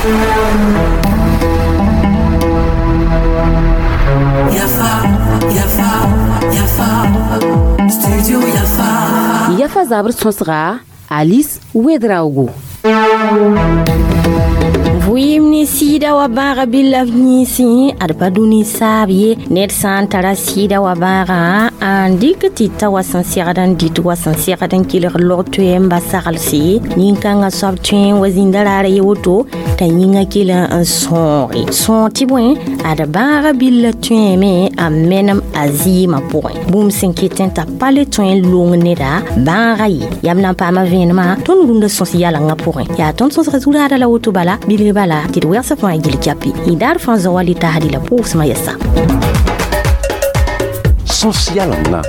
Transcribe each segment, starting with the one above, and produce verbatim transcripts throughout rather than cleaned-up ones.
Yafa, Yafa, Yafa, Studio Yafa. Yafa zabr sõsga Alice Ouedraogo. Vɩɩm ne sɩɩda wa bãaga bɩ la b yĩnsẽ ad pa dũni saab ye ned sã n tara sɩɩda wa bãagã n dɩk tɩ ta wa sẽn segd n dɩt wa sẽn segd n kelg log toɛ n ba saglse nin-kãngã soab tõe n wa zĩnda raara ye woto t'a yĩngã kell n sõoge sõog tɩ bõe ad bãaga billa tõeme a menem a zɩɩmã pʋgẽ bũmb sẽn ket n t'a pa le tõe n long neda bãaga ye yam na n paama vẽenemã tõnd rũndã sõs yalengã pʋgẽ yaa tõnd sõsga zu-raada la woto bala bilg bala tɩ d wɛgsa fãa gil capi y daar fãa zao wa le taasdi la pʋʋsmã yɛsa Sõs yalenga.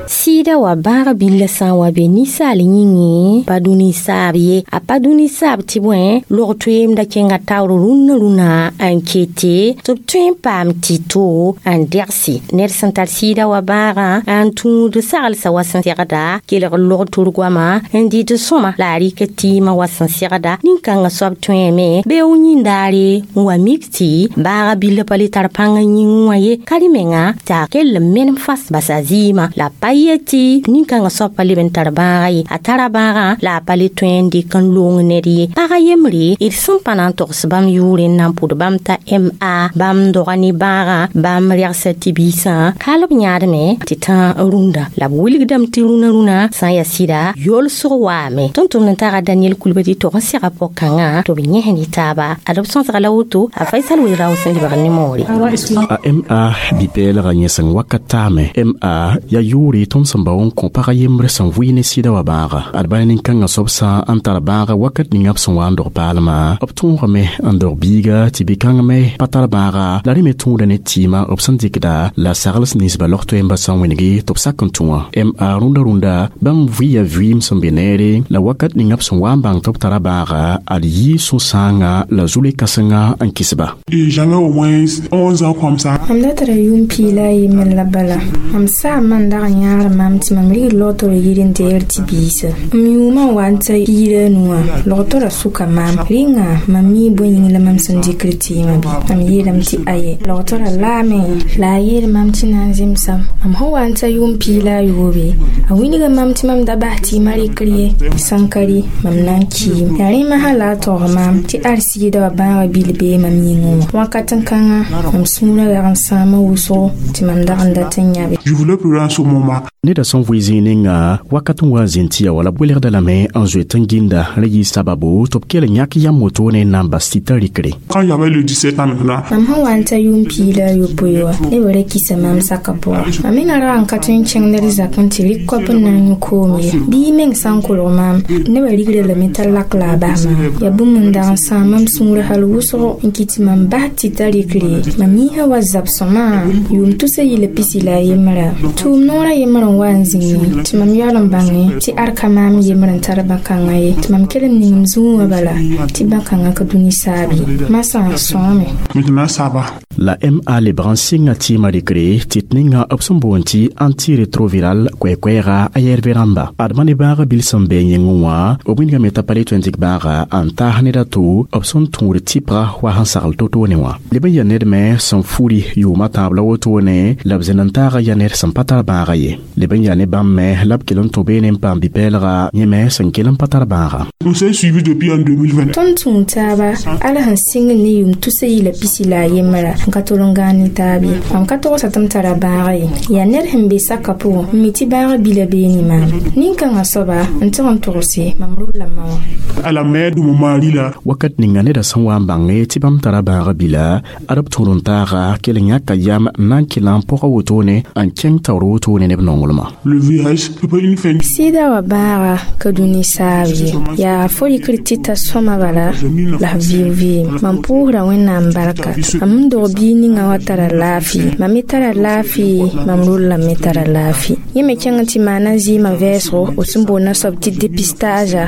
Sɩɩda wa bãag billa sã n wa be ninsaal yĩngẽ pa dũni saab ye a pa dũni saab tɩ bõe log toeemda kẽnga taoor rũnnã rũnã n kete tɩ b tõe n paam tɩ-to n degse ned sẽn tar sɩɩda wa bãagã n tũud saglsã wa sẽn segda kelg log tor goama n dɩt sõma la a rɩk tɩɩmã wa sẽn segda nin-kãngã soab tõeme bee w yĩndaare n wa mik tɩ baaga billa pa le tar pãng n yĩng wã ye ka rẽ menga tɩ a kell n menem fas bas a zɩɩmã la pa yet tɩ nin-kãngã soab pa leb n tar bãaga ye a tara bãagã la a pa le tõe n dɩk n loong ned ye pagã yembre d sẽn pa na n togs bãmb yʋʋre n na n pʋd bãmb t'a ma bãmb doga ne bãagã bãmb rɛgsa tɩ biisã hal b yãadme tɩ tã rũndã la b wilgdame tɩ rũnã rũnã sã n yaa sɩda yolsg waame tõnd tʋmd n taga Daniel Kulbadi tog n sega pʋg-kãngã tɩ b yẽs ne taaba ad b sõsga la woto a Faisal Ouedrao sẽn lebg ne moore. A ma bipɛɛlgã yẽ sẽn wakat taame ma yaa yʋʋre tõnd sẽn bao n kõ pag yembre sẽn vʋɩ ne sɩda wa bãaga ad bala nin-kãngã soab sã n tar bãaga wakat ninga b sẽn wa n dog paalmã b tõogame n dog biiga tɩ bi-kãng me pa tar bãaga la rẽ me tõoda ne tɩɩmã b sẽn dɩkda la sagls ninsba log toɛɛmbã sã n wẽnege tɩ b sak n tũ wã ma rũndã rũndã bãmb vɩɩya vɩɩm sẽn be neere la wakat ninga b sẽn wa n bãng tɩ b tara bãaga ad yɩ sũ-sãangã la zu-le-kãsenga n kɩsba. Et j'avais au moins onze ans comme ça. Mam da tara yʋʋm pii la a yembre la bala mam saamã n dag n yãagd mam tɩ mam rig logtr yir n deer tɩ biisa m yʋʋmã n wa n ta piig la a nuwã logtorã sʋka maam rẽnga mam mi bõe yĩng la mam sẽn dɩkr tɩɩmã bɩ mam yeelame tɩ aye logtorã laame la a yeel mam tɩ na n zemsam mam sẽn wa n ta yʋʋm pii la a yoobe a wilga mam tɩ mam da bas tɩɩmã rɩkr ye sãn ka rɩ mam na n kiim yaa rẽmã sã la a tog maam tɩ ad sɩɩda wa bãaga bil bee mam yĩngẽ wã wakat n kãngã mam sũurã dag n sãama wʋsgo tɩ mam dag n dat n yãbe. Je voulais pleurer en ce moment. Neda sẽn vʋɩ zĩig ninga wakat n wa n zĩnd tɩ ya wala welgda lame n zoet n gĩnda rẽ yɩ sababu tɩ b kell n yãk yam wotone n na n bas tɩ t'a rɩkre. Quand j'avais le dix-sept ans maintenant, mam sẽn wa n ta yʋʋm pii la a yopoe wa neb ra kisa maam saka pʋgã mam menga ra n ka tõe n kẽng ned zakẽ tɩ rɩk koap n na n yũ koom ye bɩ meng sã n kolg maam nebã rigra lame t'a lak la a bas maam yaa bũmb n dag n sãam mam sũur hal wʋsgo n kɩt tɩ mam bas tɩ t'a rɩkre mam yĩsã wa zab sõma yʋʋm tusa yɩla pisi la a yembrã tʋʋm noorã yembr n wa n zĩngi tɩ mam yaool n bãnge tɩ ad ka maam yembr n tar bã-kãngã ye tɩ mam kell n ning m zũu wã bala tɩ bã-kãngã ka dũni saab ye masã sõame. Maintenant ça va. La ma lebg n sɩnga tɩɩmã rɩkre tɩ d ninga b sẽn boond tɩ antirétroviral koɛ-koɛɛga a yɛɛrbe rãmba adma ne bãaga bil sẽn bɩ yĩngẽ wã b wilgame t'a pa le tõe n dɩk bãaga n taas ned a to b sẽn tũud tɩpga wa sẽn sagl to-toone wã leb n yaa ned me sẽn furi yʋʋmã tãab la wotone la b zẽn n taaga yaa ned sẽn pa tar bãaga ye leb n yaa ne bãmb me la b kell n tũ beene n paam bipɛɛlga yẽ me sẽn kell n pa tar bãaga. On s'est suivi depuis en deux mille vingt. Tõnd tũu taaba ala sẽn sɩng ne yʋʋm tusa yɩla pisi la a yembra n ka tol n gãan ne taab ye mam ka togsa tɩ m tara bãaga ye yaa ned sẽn be saka pʋgẽ n mi tɩ bãaga bila beene maam nin-kãngã soaba n tɩg n togse mam rolla ma wã. À la mère de mon mari là, wakat ninga neda sẽn wa n bãnge tɩ bãmb tara bãaga bila ad b tũud n taaga kell n yãka yam n na n kell n pʋga wotone n kẽng taoor wotone ne b nonglmã. Le V I H, c'est pas une fin. Sɩda wa bãaga ka dũni saab ye yaa fo rɩkr tɩ t'a sõma bala la f vɩɩg vɩɩm mam pʋʋsra Wẽnnaam barka mam n dog biig ninga wã tara laafɩ mam me tara laafɩ mam rollame me tara laafɩ yẽ me kẽng tɩ maana zɩɩmã vɛɛsgo b sẽn boond soab tɩ dépistage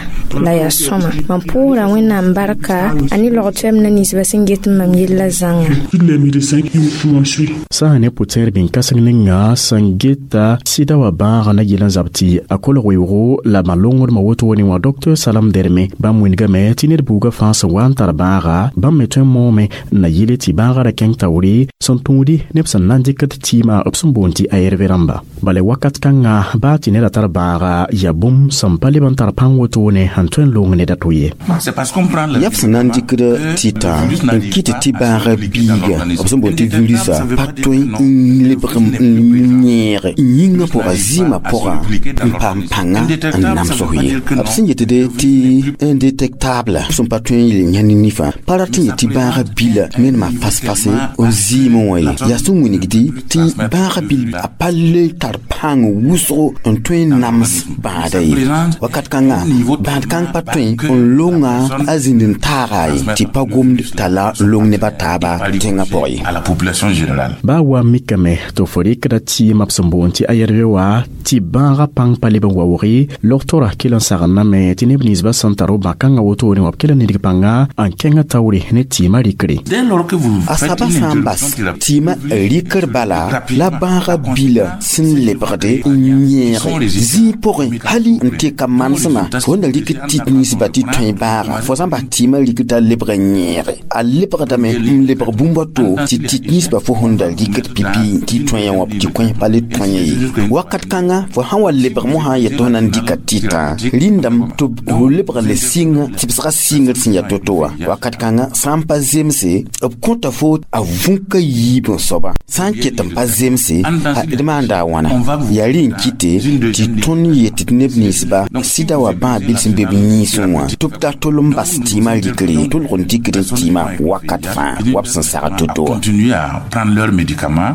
la yaa sõma mam pʋʋsra Wẽnnaam barka a ne log toɛɛmdã ninsbã sẽn get n mam yella zãnga. Tous les médecins qui m'ont suivi. Sã ne pʋ-tẽer bĩn kãseng ninga sẽn geta sɩda. wa bãagã na yɩl n zab tɩ a kolg weoogo la ma-longdmã wotone wã docteur Salam Derme bãmb wĩndgame tɩ ned buugã fãa sẽn wa n tar bãaga bãmb me tõe n moome n na yɩle tɩ bãagã ra kẽng taoore sẽn tũudi neb sẽn na n dɩkd tɩɩmã b sẽn boond tɩ A R V rãmba bala wakat kãngã baa tɩ neda tar bãaga yaa bũmb sẽn pa leb n tar pãng wotone n tõe n loong ned a to ye. Yaa b sẽn na n dɩkd tɩtã n kɩt tɩ bãaga biiga b sẽn boond tɩ virusa pa tõe n lebg n yẽeg yĩngã pʋga zɩɩmã pʋgã n paam pãnga n namsg ye. B sẽn yetde tɩ indétectable sẽn pa tõe n yel yã ne nifã pa rat n yet tɩ bãaga bila menema fas-fase n zɩɩmẽ wã ye. Yaa sẽn wilgdi tɩ bãaga bil a pa le tar pãng wʋsgo n tõe n nams bãada ye. Wakat kãngã bãad kãng pa tõe n longa a zĩnd n taaga ye tɩ pa gomd t'a la long neb a taaba tẽngã pʋgẽ ye. Baa wa mikame tɩ fo rɩkda tɩɩmã b sẽn boond tɩ A R V wa tɩ bãagã pãng pa leb n waoog logtora kell n sagendame tɩ neb ninsbã sẽn tar b bã-kãngã wotone wã b kell n nidg pãnga n kẽngã taoore ne tɩɩmã rɩkre. A saba sã n bas tɩɩmã rɩkr bala la bãagã bila sẽn lebgde n yẽege zĩig pʋgẽ hali n teka manesmã fo na rɩk tɩt ninsba tɩ tõe bãaga fo sã n bas tɩɩmã rɩkr t'a lebg n yẽege a lebgdame n lebg bũmb a to tɩ tɩt ninsba fo sẽn da rɩkd pipi tɩ tõe wã tɩ kõ pa le tõe ye. Wakat kãngã fo sã n wa lebg mosã n yet tɩ fo na n dɩka tɩtã rĩndame tɩ fo lebg le sɩng tɩbsgã sɩngd sẽn yaa to-to wã. Wakat kãngã sã n pa zemse b kõta fo a vũka yiib n soaba sã n ket n pa zemse d maanda a wãna yaa rẽ n kɩte tɩ tõnd yet tɩ neb ninsba sɩda wa bãag bil sẽn be b yĩnsẽ wã tɩ b ta tol n bas tɩɩmã rɩkre tolg n dɩkd n tɩɩmã wakat fãa wa b sẽn sagd to-to wã.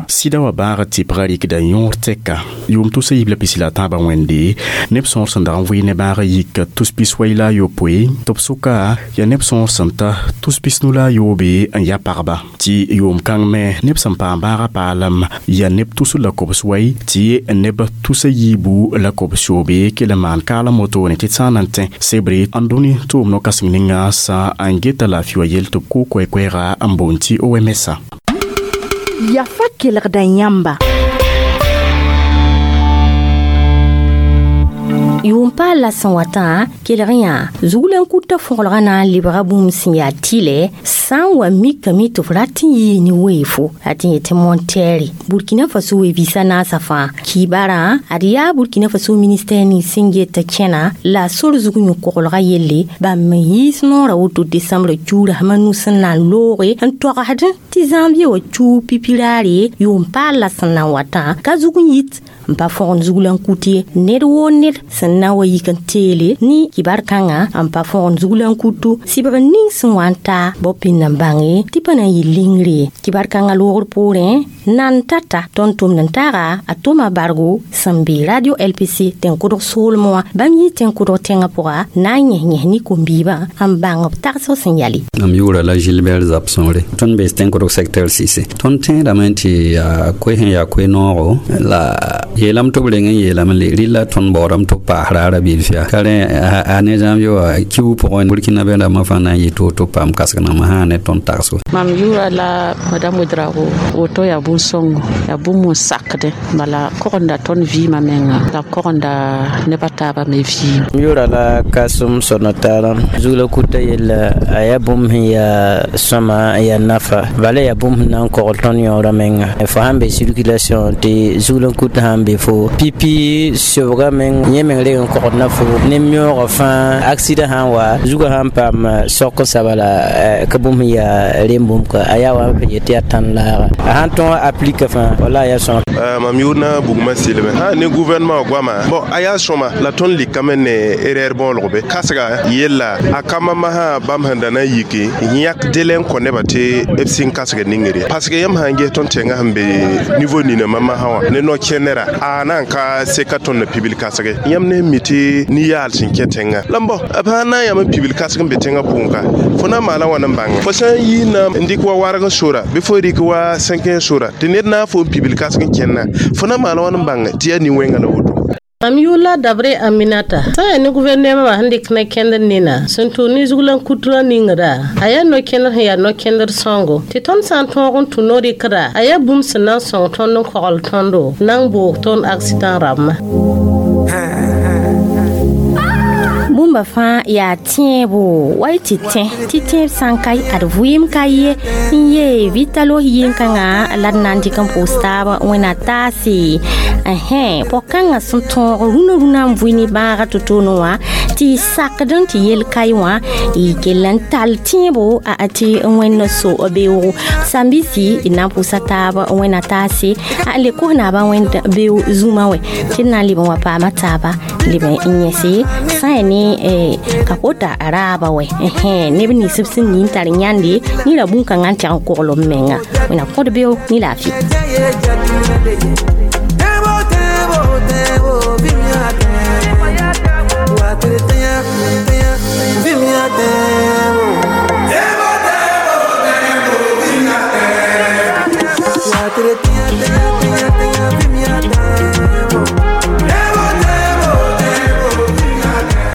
Sɩda wa bãagã tɩpgã rɩkda yõor tɛka yʋʋm tʋsa yiib la pisi la tãabã wẽnde neb sõor sẽn dag n vɩɩ ne bãagã yik tus pis wai la a yopoe tɩ b sʋka yaa neb sõor sẽn ta tus pisnu la a yoobe n ya pagba tɩ yʋʋm kãng me neb sẽn paam bãagã paalem yaa neb tusr la kobs wai tɩ neb tusa yiibu la kobs yoobe kell n maan kaalem wotone tɩ d sã n na n tẽ sebre n dũni tʋʋm no-kãseng ninga sã n geta laafɩ wa yell tɩ b kʋ koɛ-koɛɛga n boond tɩ O M S. Yafa kelgda yãmba. Yʋʋm paal la sẽn watã kelg yã zugl n kuta fõgelgã na n lebga bũmb sẽn yaa tɩlɛ sã n wa mikame tɩ f rat n yɩɩ ne weefo a tɩ yetɩ montɛɛre Burkina Faso we-vɩɩsã naasã fãa kiibarã ad yaa Burkina Faso ministɛr nins sẽn get kẽna la sor zug yõ-koglgã yelle bãmb n yiis noorã woto desembrã cuura sẽm a nu sẽn na n looge n togsd tɩ zãmbie wa cuug pipiraare yʋʋm paal la sẽn na n watã ka zug n yit n pa fõgen zugl n kut ye. Ned woo ned sẽn na wa yik n teele ne kibar kãngã n pa fõgen zugl n kutu sɩbg ning sẽn wa n taa bao pĩnd n bãnge tɩ pa na n yɩ lingre ye. Kibar kãngã loogr poorẽ nan tata tõnd tʋmd n taaga a tʋma bargo sẽn be radio L P C tẽn-kʋdg soolmẽ wã bãmb yɩ tẽn-kʋdg tẽngã pʋga na n yẽs yẽs ne kom-biibã n bãng b tagsg sẽn yale. Mam yʋʋra la Gilbert Zabsõore tõnd bees tẽn-kʋdg secteur sise tõnd tẽedame tɩ yaa koe sẽn yaa koe-noogo la yeelame tɩ b reng n yeelame le rɩla tõnd baoodame tɩ b paas raara bilf yaa ka rẽ a ne zãmb wa kiu pʋgẽ Burkina be rãmbã fãa na n yɩ to tɩ b paam kasg nambã sã ne tõnd tagsgo. Mam yʋʋra la madame Ouedraogo woto yaa bũn-sõngo yaa bũmb n sakdẽ bala kogenda tõnd vɩɩmã menga la b kogenda neb a taabã me vɩɩm. M yʋʋra la Kasem Sonotara zugla kuta yella a yaa bũmb sẽn yaa sõma n yaa nafa bala yaa bũmb sẽn na n kogl tõnd yõorã menga fo sãn be circulation tɩ zugl n kuta sãn be fo pipi sobga meng yẽ meng reg n kogd na fo ne meoogã fãa accident sãn wa zugã sãn paam sok n saba la ka bũmb sẽn yaa rem bũmb ka a yaa wa n yet tɩ yaa tãn laaga a sãn tõog aplika fãa wala a yaa sõma. Mam yʋʋd na bugmã sɩlme sã ne gouvernement goama bon a yaa sõma la tõnd likame ne erreur bõolg be kasga yella a ka mama sã bãmb sẽn da na n yiki n yãk délai n kõ nebã tɩ b sɩng kasg ningre parce que yãmb sã n ges tõnd tẽngã sẽn be niveau nina mama sã wã ne no-kẽnera a na n ka seka tõnd na pibil kasge yãmb ne mi tɩ ni-yaal sẽn kẽ tẽngã la b b sã n na n yãmb n pibil kasg n be tẽngã pʋgẽ ka fo na n maala wãn n bãnge fo sã n yii na n dɩk wa warg sora bɩ fo rɩk wa sẽnkẽ sora tɩ ned na n fo n pibil kasg n kẽnna fo na n maala wãn n bãnge tɩ yaa nin-wẽngã la woto. Mam yʋʋla Dabre Aminata sã n yaa ne gʋvɛrnɛmã wã sẽn dɩk ne kẽndr nina sẽn tʋg ne zuglan kutrã ningrã a yaa no-kẽndr sẽn yaa no-kẽndr sõngo tɩ tõnd sã n tõog n tũ no-rɩkra a yaa bũmb sẽn na n sõng tõnd n kogl tõndo na n boog tõnd accident rãmbã. Bũmba fãa yaa tẽebo wa y tɩ tẽ tɩ tẽeb sã n ka ad vɩɩm ka ye n yee vitalo yɩn-kãngã la d na n dɩk n pʋʋs taab wẽna taase ɛhẽ pɔg-kãngã sẽn tõog rũnã rũnã n vʋɩ ne bãaga to-toone wã tɩ y sakd n tɩ yel kae wã y kell n tall tẽebo a tɩ wẽnd so beoogo sambisi d na n pʋʋsa taab wẽna taase a le kos naabã wẽnd beo zũmã wɛ tɩ d na n leb n wa paama taaba leb n yẽse sã n yaa ne ka kota raaba wɛ neb nins b sẽn nin tar yãnde ne ra bũn-kãngã n tɛg n kogl b menga wẽna kõd beo ne laafɩ.